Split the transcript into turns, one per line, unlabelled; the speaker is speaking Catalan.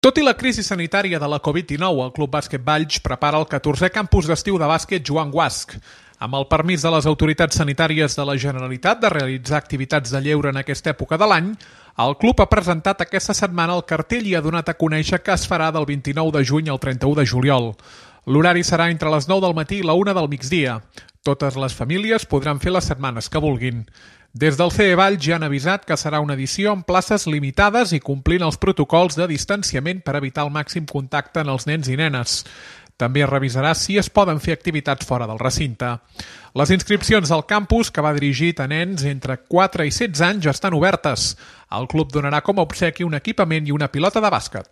Tot i la crisi sanitària de la Covid-19, el Club Bàsquet Valls prepara el 14è campus d'estiu de bàsquet Joan Guasch. Amb el permís de les autoritats sanitàries de la Generalitat de realitzar activitats de lleure en aquesta època de l'any, el club ha presentat aquesta setmana el cartell i ha donat a conèixer que es farà del 29 de juny al 31 de juliol. L'horari serà entre les 9 del matí i la 1 del migdia. Totes les famílies podran fer les setmanes que vulguin. Des del CE Valls ja han avisat que serà una edició amb places limitades i complint els protocols de distanciament per evitar el màxim contacte en els nens i nenes. També es revisarà si es poden fer activitats fora del recinte. Les inscripcions al campus, que va dirigit a nens entre 4 i 16 anys, ja estan obertes. El club donarà com a obsequi un equipament i una pilota de bàsquet.